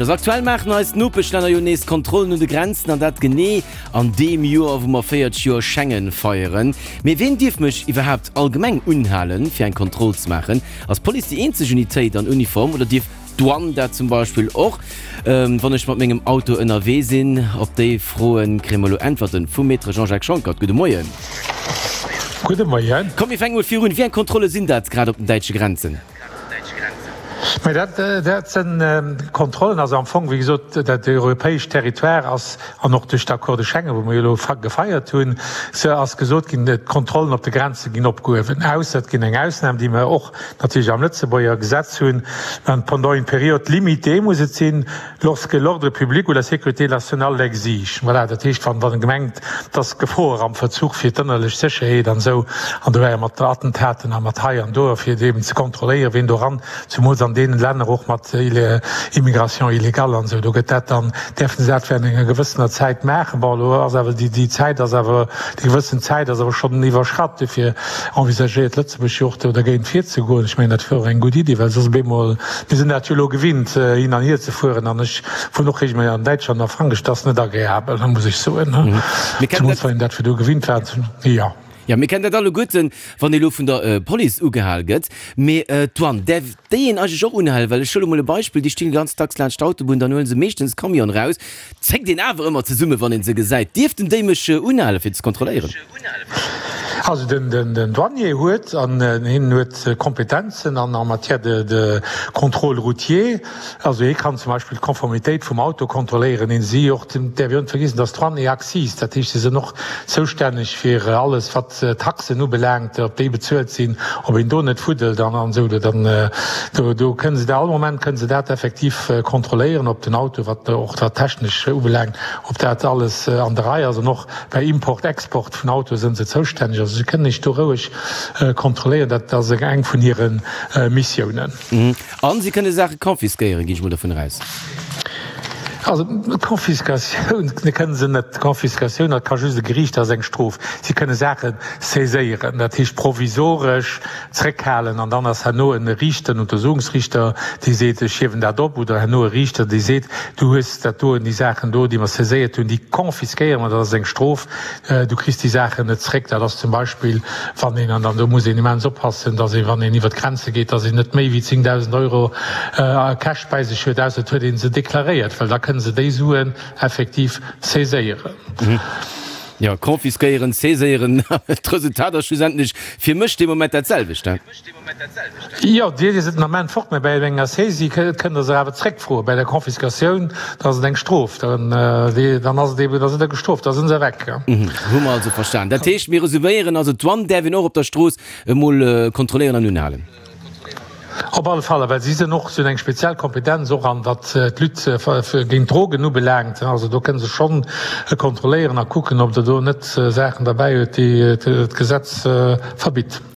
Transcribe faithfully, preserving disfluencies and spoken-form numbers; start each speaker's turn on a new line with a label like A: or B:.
A: Also aktuell maachen eis Nopeschlänner jo nees Kontrollen un de Grenzen, an dat genee an deem Joer, wou mer véierzeg Joer Schengen feieren. Mee ween dierf mech iwwerhaapt allgemeng unhalen, fir eng Kontroll ze maachen? Ass d'Police déi eenzeg Unitéit an Uniform oder dierf d'Douane dat zum Beispill och, wann ech mat mengem Auto ënnerwee sinn? Op déi Froen kréie mer elo Äntwerten vum Maître Jean-Jacques Schonckert. Gudde Moien.
B: Gudde Moien.
A: Komm mir fänke mol virun, Wéi eng Kontrolle sinn dat grad op den däitsche Grenzen?
B: Mä dat, dat sinn Kontrollen, also am Fong, wéi gesot, dat europäescht Territoire ass, an och duerch d'Accords de Schengen, wou mer jo elo gefeiert hunn, se ass gesot ginn, d'Kontrollen op de Grenze ginn opgehuewen, ausser et ginn eng Ausnam, déi mer och natierlech am Lëtzebuerger Gesetz hunn, pendant une période limitée muss et sinn, lorsque l'ordre public ou la sécurité nationale l'exige. Voilà, dat heescht, wann, wann e gemengt, dass Gefoer am Verzuch fir d'ënnerlech Sécherheet an esou, an do war jo mat Attentaten a mat hei an do, fir eben ze kontrolléieren, wien do eran, zumools an deenen Länner och mat Immigration illégale an esou, do gëtt dat dann, däerfen se dat während enger gewëssener Zäit maachen. Bon, elo ass awer déi, déi Zäit ass awer, déi gewëssen Zäit ass awer schonn iwwerschratt. Dofir envisagéiert Lëtzebuerg jo och do dergéint virzegoen. Ech mengen, dat wier och eng gutt Iddi, well soss op eemol, mir sinn dat jo elo gewinnt, hin an hier ze fueren an ech fueren och regelméisseg an Däitschland a Frankräich, dat ass net agreabel, muss ech soen, zumools wann een dat virdu gewinnt war. Jo.
A: Jo, mir kennen dat alleguerten, wann ee lo vun der Police ugehal gëtt. Mee d'Douane, däerf déi een eigentlech och unhalen? Well ech huele mol e Beispill, déi stinn ganz dacks laanscht d'Autobunn, dann huele se meeschtens Camion raus, zéckt een awer ëmmer zesumme wann een se gesäit. Dierften déi mech unhalen fir ze kontrolléieren?
B: Also den den Douanier huet, an hien huet Kompetenzen an en matière de de contrôle routier, also hie kann zum Beispill d'Konformitéit vum Auto kontrolléieren, hien si och, däerf een och net vergiessen, dass d'Douane et Accises, dat heescht si sinn och zoustänneg fir alles wat d'Taxen ubelaangt, ob déi bezuelt sinn, ob een do net fuddelt an esou. Dann do do kënne se dat all Moment kënne se dat effektiv kontrolléieren, ob den Auto, wat och wat technesch ubelaangt, ob dat alles an der Rei ass. An och bei Import, Export vun Autoe sënn se zoustänneg. Also se kënnen iech do roueg kontrolléieren. Dat ass eng vun hire Missiounen.
A: A si kënne Saache confisquéieren, ginn ech mol dovun aus.
B: Also d'Confiscatioun kënne se net. D'Confiscatioun, dat ka just e Geriicht, dat ass eng Strof. Si kënne Saache saiséieren, dat heescht provisoresch zréckhalen an dann ass herno e Riichter, en Untersuchungsriichter, dee seet, ech hiewen dat op, oder herno e Riichter, dee seet, du hues dat doen, déi Saachen do, déi mer saiséiert hunn, déi confisquéiere mer, dat ass eng Strof, du kriss déi Saachen net zréck. Dat ass zum Beispill, wann een, an do muss een immens oppassen, datt een, wann een iwwer d'Grenze geet, datt een net méi wéi zéngdausend Euro Cash bäi sech huet, ausser et huet ee se deklaréiert, well da kënne se déi Suen effektiv saiséieren.
A: Jo, confisquéieren, saiséieren, d'Resultat ass schlussendlech fir mech dee Moment dat selwecht, he?
B: Jo, Dir sidd den Ament fort, mä bäi enger Saisie kënnt Der se awer zréckfroen. Bäi der Confiscatioun, da ass et eng Strof, dann ass et eben, da sidd Der gestrooft, da si se weg.
A: Hu mer also verstan. Dat heescht, mir resuméieren, also d'Douane däerf een och op der Strooss emol kontrolléieren an unhalen.
B: Op alle Fall, well si sinn och, si hunn eng speziell Kompetenz och an wat d'Lutte géint d'Drogen ubelaangt. Also do kënne se schonn kontrolléieren a kucken, ob Der do net Saachen derbäi huet, déi d'Gesetz verbitt.